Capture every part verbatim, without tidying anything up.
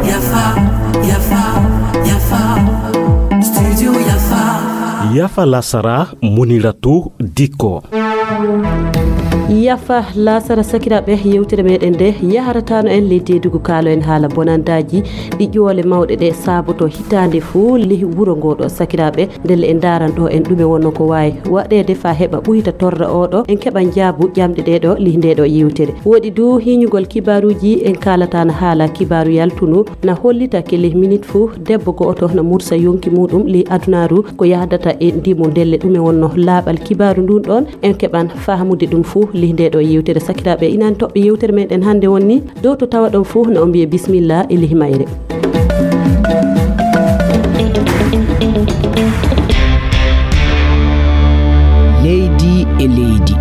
Yafa, yafa, yafa. Studio yafa. Yafa lasara, Muniratu Dikko. Yafa lasara, sakiraaɓe, yewtere meɗen nde yaharatano en ley deedugu, kaalo en haala bonandaaji ɗi ƴoole mawɗe ɗe saaboto hitaande fuu ley wuro ngo ɗo, sakiraaɓe. Ndelle en ndaaran ɗo en ɗume wonno ko waawi waɗeede faa heɓa ɓuyta torra oo ɗo, en keɓa njaabu ƴamɗe ɗee ɗo ley ndee ɗo yewtere. Woɗi du hiiñugol kibaaruuji, en kaalata na haala kibaaru yaltunu na hollita ke ley minit fuu debbo go'oto na mursa yonki muuɗum ley adunaaru ko yahdata e ndimu. Ndelle ɗume wonno laaɓal kibaaru ndun ɗon, en keɓan faamude ɗum fuu ley ndee ɗo yewtere. Sakiraaɓe, inan toɓɓe yewtere meɗen hannde wonni dow to tawa ɗon fuu na on mbiye bismillah e ley mayre. Leydi e leydi.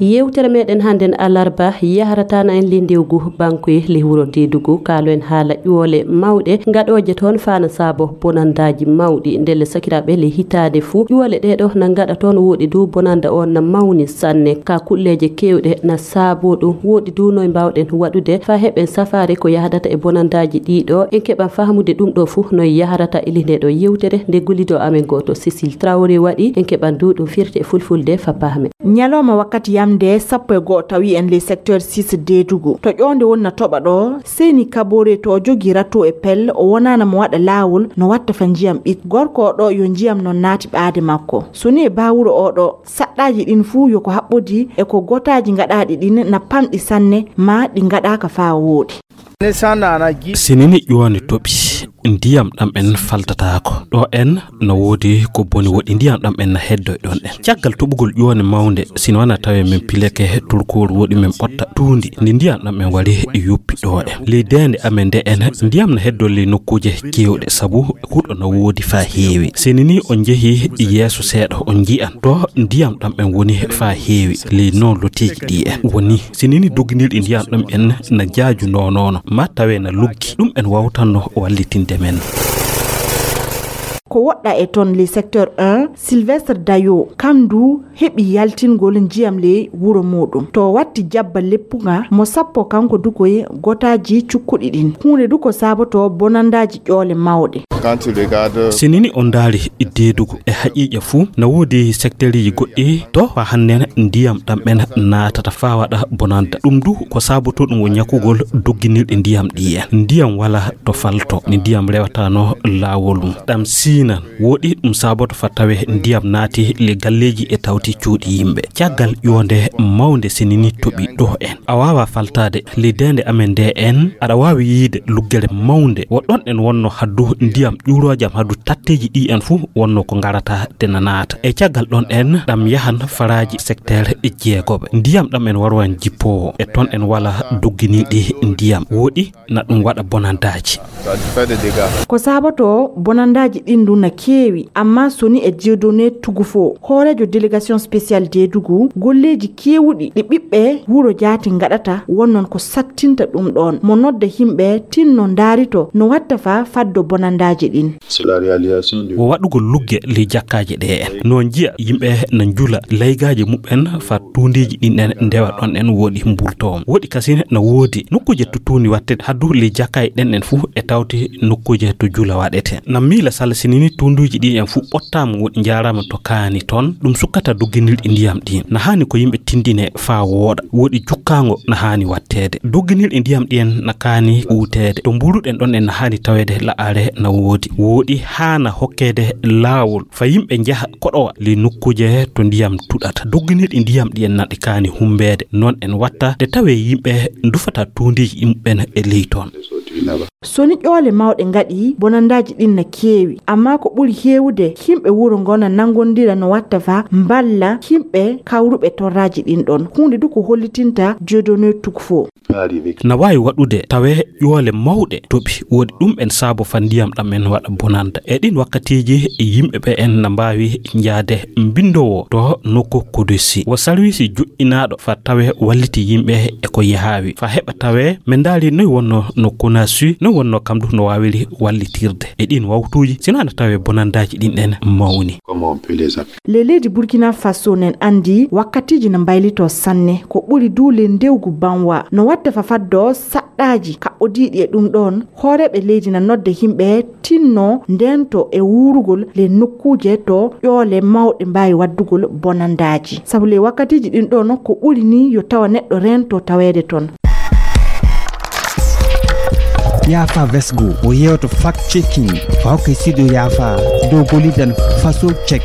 Yewtere meɗen hannden alarba yaharatana en ley ndewgu bankoye ley wuro Deedugu. Kaalo en haala ƴoole mawɗe ngaɗooje toon faa na saabo bonandaaji mawɗi. Ndelle sakiraaɓe, ley hitaande fuu ƴoole ɗee ɗo na ngaɗa toon. Woɗi du bonanda on na mawni sanne. Ka kulleeje keewɗe na saabo ɗum. Woɗi du noy mbaawɗen waɗude faa heɓen safaare ko yahdata e bonandaaji ɗii ɗo. En keɓan fahmude ɗum ɗo fuu noy yaharata e ley ndee ɗo yewtere nde gollido amen gooto Cécile Traoré waɗi. En keɓan du ɗum firti e fulfulde faa pahmen. Ñalawma wakkati yamde sappo e go'o tawi en ley secteur six Deedugu. To ƴoonde woni na toɓa ɗo, Seyni Kaboore to o jogii rato e pelle, o wonaana mo waɗa laawol no watta faa njiyam ɓit. Gorko o ɗo yo njiyam non naati ɓaade makko. So ni e baawuro o ɗo, saɗɗaaji ɗin fuu yo ko haɓɓodii e ko gotaaji ngaɗaaɗi ɗin na pamɗi sanne, maa ɗi ngaɗaaka faa wooɗi. Si nini ƴoone toɓi, ndiyam ɗam en faltataako. Ɗo en no woodi ko boni, woɗi ndiyam ɗam en na heddo e ɗon en. Caggal toɓugol ƴoone mawnde, si no wana tawe men pileke turkooru, woɗi men ɓotta tuundi, ndi ndiyam ɗam en wari yuppi ɗo en. Ley deende amen nde en, ndiyam na heddo ley nokkuuje keewɗe, sabu huɗo na woodi faa heewi. Si nini on njehi yeeso seeɗa, on nji'an to ndiyam ɗam en woni faa heewi ley non lotiiji ɗi en woni. Si nini dogginirɗi ndiyam ɗam en na jaaju nonono, ma tawe na luggi, ɗum en wawtanno wallitinde men. Ko woɗɗa e ton ley secteur un, Sylvestre Dayo, kam du heɓi yaltingol njiyam ley wuro muuɗum. To watti jabba leppunga mo sappo kanko du koye gotaaji cukkuɗi ɗin. Huunde du ko saaboto bonandaaji ƴoole mawɗe. Si nini on ndaari Deedugu e haqiiqa fuu, na woodi sekteeriji goɗɗi to faa hannden ndiyam ɗam en naatata faa waɗa bonanda. Ɗum du ko saaboto ɗum wo ñakugol dogginirɗi ndiyam ɗi en. Ndiyam wala to falto, ni ndiyam rewatano laawol mum. Ɗam siinan, woɗi ɗum saaboto faa tawe ndiyam naati ley galleeji e tawti cuuɗi yimɓe. Caggal ƴoonde mawnde si nini toɓi ɗo en. A waawa faltaade ley deende amen nde en, aɗa waawi yiide luggere mawnde. Wo ɗon en wonno haddu ndiyam ƴuuroojam, haddu tatteeji ɗi en fuu wonno ko ngarata de na naata. E caggal ɗon en, ɗam yahan faraaji sekteer jeegoɓe. Ndiyam ɗam en warwan jippoowo. E ton en wala dogginirɗi ndiyam. Woɗi na ɗum waɗa bonandaaji. Ko saaboto bonandaaji ɗin du na keewi, amma so ni e Dieudonné Tugufo, hooreejo délégation spéciale Deedugu, golleeji keewuɗi ɗi ɓiɓɓe wuro jaati ngaɗata, wonnon ko sattinta ɗum ɗon. Mo nodda yimɓe tinno ndaarito no watta faa faddo bonandaaji ɗin. Wo waɗugol lugge ley jakkaaji ɗe en. No njiya yimɓe na njula laygaaji muɓɓen faa tuundiiji ɗin en ndewa ɗon en woɗi mburto on. Woɗi kasin na woodi nokkuuje to tuundi wattete haddu ley jakkaaji ɗen en fuu e tawti nokkuuje to jula waɗete. Na miila sala si nini tuunduuji ɗi en fuu ɓottaama woɗi njaaraama to kaani ton, ɗum sukkata dogginirɗi ndiyam ɗin. Na haani ko yimɓe tindine faa wooɗa. Woɗi jukkaango na haani watteede. Dogginirɗi ndiyam ɗi en na kaani uuteede. To mburuɗen ɗon en na haani taweede la'are na woodi. Woɗi haana hokkeede laawol faa yimɓe njaha koɗowa ley nokkuuje to ndiyam tuɗata. Dogginirɗi ndiyam ɗi en na ɗi kaani humbeede. Non en watta de tawe yimɓe ndufata tuundiiji ɗin ɓen e ley ton. So ni ƴoole mawɗe ngaɗi, bonandaaji ɗin na keewi, amma ko ɓuri heewude, yimɓe wuro ngo na nanngondira no watta faa mballa yimɓe kawruɓe torraaji ɗin ɗon. Huunde du ko hollitinta Dieudonné Tugufo. Na waawi waɗude tawe ƴoole mawɗe toɓi, woɗi ɗum en saabo faa ndiyam ɗam en waɗa bonanda. E ɗin wakkatiiji, yimɓe ɓe en na mbaawi njaade mbinndoowo to nokku kodosi. Wo sarwiisi joƴƴinaaɗo faa tawe walliti yimɓe e ko yahaawi. Faa heɓa tawe, men ndaari noy wonno no kuna Assu non wonno kam ɗum no waawiri wallitirde e ɗin wawtuuji, sinaa no tawee bonandaaji ɗin ɗen mawni. Les leydi Burkina Faso nen anndi wakkatiiji no mbaylitoo sanne, ko ɓuri duu ley ndewgu banwa. No watta fa faddo saɗɗaaji kaɓɓodiiɗi e ɗum ɗoon, hooreeɓe leydi na nodda yimɓe tinno ndento e wuurugol ley nokkuuje to ƴoole mawɗe mbaawi waddugol bonandaaji. Sabu ley wakkatiiji ɗin ɗoon ko ɓuri ni yo tawa neɗɗo rento taweede toon. Yaafa Vesgo o yewto fact checking fa hokke sido Yaafa dow golidan faso check.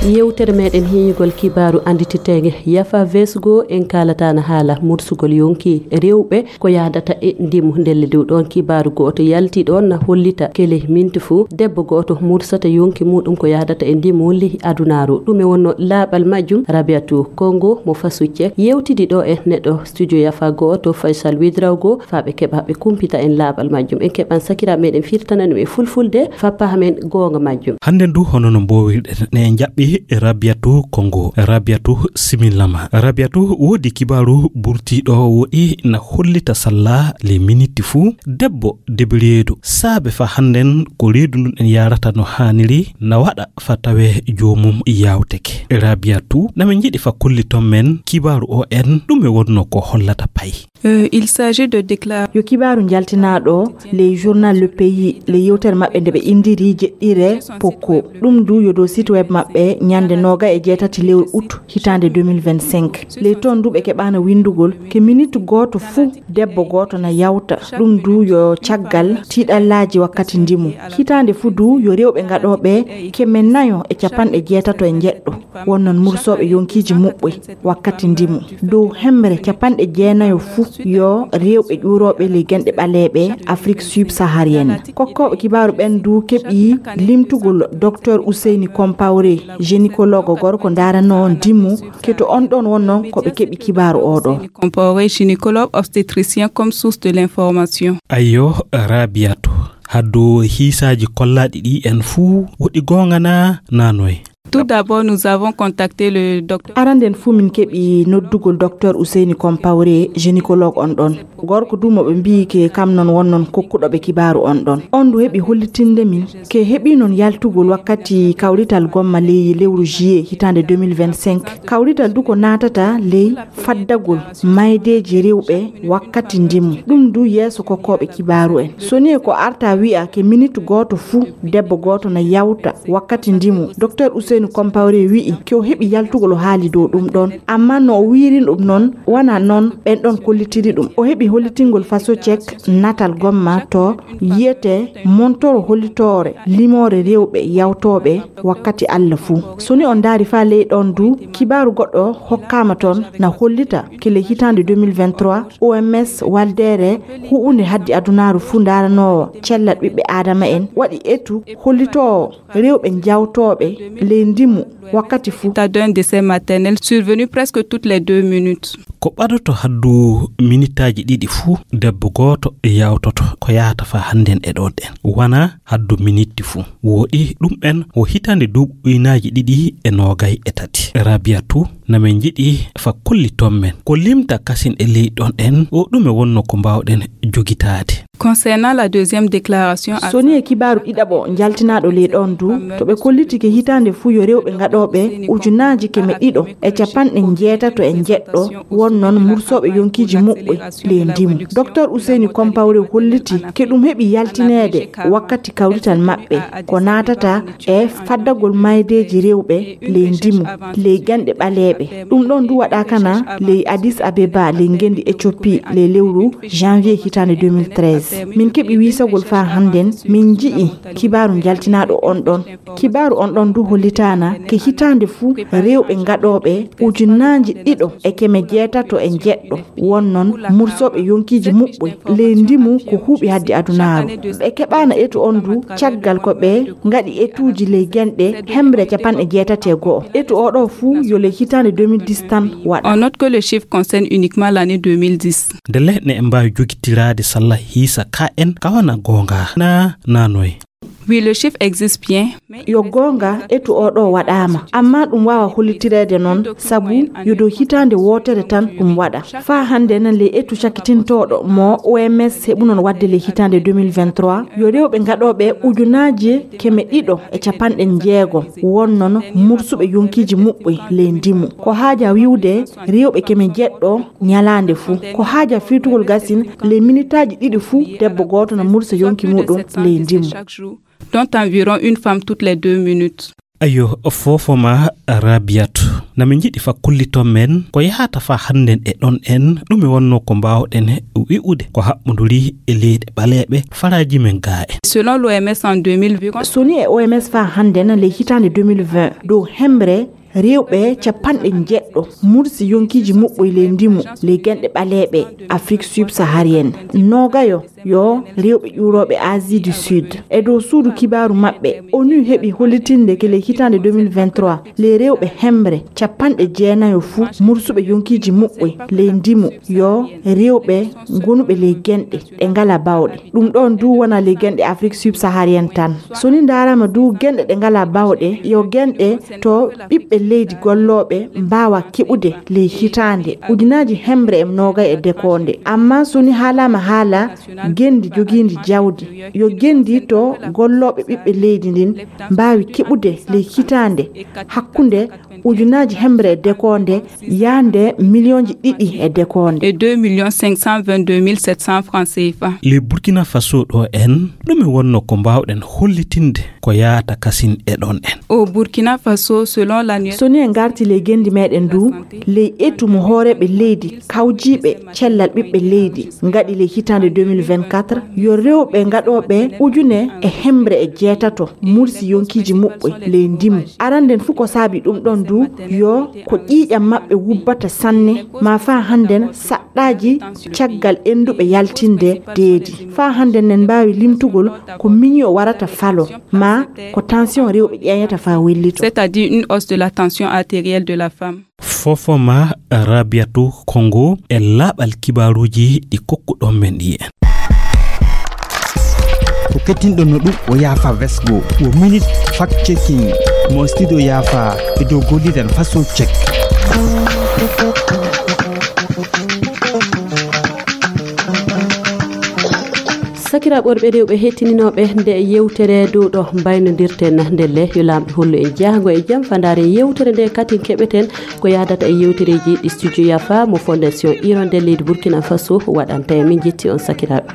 Yewtere meɗen heñugol kibaaru andititeege Yaafa Vesgo en kaalata na haala mursugol yonki rewɓe ko yahdata e ndimu. Ndelle dow ɗoon kibaaru gooto yalti ɗoon na hollita kele minti fuu debbo gooto mursata yonki muɗum ko yahdata e ndimu ley adunaaru. Ɗum e wonno laaɓal majjum Rabiatu Kongo mo Fasucce yewtidi ɗo e neɗɗo studio Yaafa gooto Faisal Widrawgo faa ɓe keɓa ɓe kumpita en laaɓal majjum. En keɓan sakiraaɓe meɗen firtana ɗum e fulfulde faa pahamen goonga majjum. Hannden du hono no mboowirɗen ne en jaɓɓi Rabiatu Kongo. Rabiatu simillama. Rabiatu woodi kibaaru burtiiɗo woɗi na hollita salla le miniti fuu. Debbo debi reedu saabe faa hannden ko reedu ndun en yaarata no haaniri na waɗa faa tawee joomum yaawteke. Rabiatu na min njiɗi faa kolliton men kibaaru o en ɗum e wonno ko hollata pay. Euh, il s'agit de déclarer. Yo kibaaru njaltinaaɗo ley journal Le Pays ley yewtere maɓɓe nde ɓe inndiri jeɗɗire pokko. Ɗum du yo dow site web maɓɓe ñande nooga e jeetati lewru août hitaande deux mille vingt-cinq. Ley toon du ɓe keɓaana winndugol ke minute gooto fuu debbo gooto na yawta. Ɗum du yo caggal tiiɗallaaji wakkati ndimu. Hitaande fuu du yo rewɓe ngaɗooɓe keme nayo e capanɗe jeetato e njeɗɗo. Won noon mursooɓe yonkiiji muɓɓoy wakkati ndimu. Dow hemre capanɗe jeenayo fuu yo rewɓe ƴuurooɓe ley genɗe ɓaleeɓe Afrique subsaharienne. Kokkooɓe kibaaru ɓen du keɓi limtugol Docteur Ousseyni Compaoré, gynécologue gorko ndaaranoo ndimu, ke to on ɗon wonno ko ɓe keɓi kibaaru oo ɗoo. Compaoré, gynécologue obstétricien comme source de l'information. Ayyo, Rabiatu, haddu hiisaaji kollaaɗi ɗi en fuu, woɗi goonga naa, naa noy? Tout d'abord, nous avons contacté le docteur. Aranden fuu min keɓi noddugol Docteur Ousseyni Compaoré, gynécologue on ɗon. Gorko du mo ɓe mbiyi ke kam non won non kokkuɗo ɓe kibaaru on ɗon. On du heɓi hollitinde min ke heɓi non yaltugol wakkati kawrital gomma ley lewru juillet hitaande deux mille vingt-cinq. Kawrital du ko naatata ley faddagol maydeeji rewɓe wakkati ndimu. Ɗum du yeeso kokkooɓe kibaaru en. So ni e ko arta wi'a ke minute gooto fuu debbo gooto na yawta wakkati ndimu. Docteur Ousseynou Compaoré wi'i ke o heɓi yaltugol o haali dow ɗum ɗon. Amma no o wiiri ɗum non, wana non ɓen ɗon kollitiri ɗum. O heɓi hollitingol faso cek natal gomma to yiyete montoro hollitoore limoore rewɓe yawtooɓe wakkati Alla fuu. So ni on ndaari faa ley ɗon du, kibaaru goɗɗo hokkaama ton na hollita ke ley hitaande deux mille vingt-trois, O M S waldeere huɓunde haddi adunaaru fuu ndaaranoowo cellal ɓiɓɓe Aadama en waɗi etu hollitoowo rewɓe jawtooɓe ley ndimu wakkati fuu. État d'un décès maternel survenu presque toutes les deux minutes. Ko ɓadoto haddu minitaaji ɗiɗi fuu, debbo gooto yawtoto ko yahata faa hannden e ɗon ɗen. Wana haddu minitti fuu. Woɗi ɗum en o hitaande duuɓi ujunaaji ɗiɗi e noogay e tati. Rabiatu, na min njiɗi faa kolliton men. Ko limta kasin e ley ɗon en, o ɗume wonno ko mbaawɗen jogitaade? Concernant la deuxième déclaration, so ni e kibaaru ɗiɗaɓo njaltinaaɗo ley ɗon du, to ɓe kolliti ke hitaande fuu yo rewɓe ngaɗooɓe ujunaaji keme ɗiɗo e capanɗe njeetato e njeɗɗo, won noon mursooɓe yonkiiji muɓɓoy ley ndimu. Docteur Ousseyni Compaoré holliti ke ɗum heɓi yaltineede wakkati kawrital maɓɓe, ko naatata e faddagol maydeeji rewɓe ley ndimu, ley ganɗe ɓaleeɓe. Ɗum ɗon du waɗaaka na ley Addis Abeba, ley ngenndi Éthiopie, ley lewru janvier hitaande deux mille treize. Min keɓi wiisagol faa hannden, min nji'i kibaaru njaltinaaɗo on ɗon. Kibaaru on ɗon du hollitaana ke hitaande fuu rewɓe ngaɗooɓe ujunaaji ɗiɗo e keme jeetato e njeɗɗo, won noon mursooɓe yonkiiji muɓɓoy ley ndimu ko huuɓi haddi adunaaru. Ɓe keɓaana etu on du caggal ko ɓe ngaɗi etuuji ley genɗe hemre capanɗe jeetati e go'o. Etu oo ɗoo fuu yo ley hitaande deux mille dix tan waɗa. On note que le chiffre concerne uniquement l'année deux mille dix. Ndelle ne en mbaawi jogitiraade salla hiisa ka en kawana goonga na nanoy. Oui, le chiffre existe bien. Yo goonga, etu oo ɗoo waɗaama, ammaa ɗum waawaa hollitireede noon, sabu yo dow hitaande wootere tan ɗum waɗa. Faa hannde nan, ley etu cakkitintooɗo mo O M S heɓunoon waɗde ley hitaande deux mille vingt-trois, yo rewɓe gaɗooɓe ujunaaji keme ɗiɗo e capanɗe jeego wonnoon mursuɓe yonkiiji muɓɓoy ley ndimu. Ko haaja wi'ude rewɓe keme jeɗɗo ñalaande fuu. Ko haaja firtugol gasin ley minitaaji ɗiɗi fuu, debbo gooto na mursa yonki muuɗum ley ndimu. Dont environ une femme toutes les deux minutes. Ayo, foofo ma Rabiatu. Na min njiɗi fa kulliton men ko yahata fa hannden e ɗon en, ɗume wonnoo ko mbaawɗen wi'ude ko haɓɓunduri e leyɗe ɓaleeɓe faraaji men gaa en. Selon l'O M S en deux mille vingt, so ni e O M S fa hannden ley hitaande deux mille vingt, dow hemre rewɓe capanɗe jeɗɗo mursi yonkiiji muɓɓoy ley ndimu ley genɗe ɓaleeɓe Afrique subsaharienne. Noogayo yo rewɓe ƴuurooɓe Asie du Sud. E dow suudu kibaaru maɓɓe, onu heɓi hollitinde ke ley hitaande deux mille vingt-trois, ley rewɓe hemre capanɗe jeenayo fuu mursuɓe yonkiiji muɓɓoy ley ndimu yo rewɓe gonuɓe ley genɗe ɗe ngalaa bawɗe. Ɗum ɗoon du wonaa ley genɗe Afrique subsaharienne tan. So ni ndaaraama du genɗe ɗe ngalaa bawɗe, yo genɗe to ɓiɓɓe leydi gollooɓe mbaawa keɓude ley hitaande ujunaaji hemre e noogay e dekoonde. Ammaa so ni haalaama haala genndi jogiindi jawdi, yo genndi to gollooɓe ɓiɓɓe leydi ndin mbaawi keɓude ley hitaande hakkunde ujunaaji hemre e dekoonde yaande miliyonji ɗiɗi e dekoonde. Et deux millions cinq cent vingt-deux mille sept cents francs C F A. Ley Burkina Faso ɗo en, ɗume wonnoo ko mbaawɗen hollitinde ko yaata kasin e ɗon en? Au Burkina Faso, selon l'annuaire. So ni en ngarti ley genndi meɗen du, ley etu mo hooreeɓe leydi kawjiiɓe cellal ɓiɓɓe leydi ngaɗi ley hitaande deux mille vingt-quatre, yo rewɓe ngaɗooɓe ujune e hemre e jeetato mursi yonkiiji muɓɓoy ley ndimu. Aranden fuu ko saabi ɗum ɗon du, yo ko ƴiiƴam maɓɓe wubbata sanne, maa faa hannden saɗɗaaji caggal ennduɓe yaltinde deedi. Faa hannden nen mbaawi limtugol ko miño warata falo, maa ko tension rewɓe ƴeeñata faa wellito. C'est-à-dire une hausse de la tension artérielle de la femme. Foofo ma Rabiatu Kongo e laaɓal kibaaruuji ɗi kokkuɗon men ɗi en. Ko kettinɗon no ɗum o yaafa vesgo, o minute fact checking mo studio yaafa e dow golliren faso check. Sakiraaɓe worɓe rewɓe hettininooɓe nde yewtere dow ɗo mbaynodirten ndelle, yo Laamɗo hollu en jaago e jam. Faa ndaaren yewtere nde katin keɓeten ko yaadata e yewtereeji ɗi studio yaafa mo Fondation Hirondelle leydi Burkina Faso waɗanta en. Min njetti on sakiraaɓe.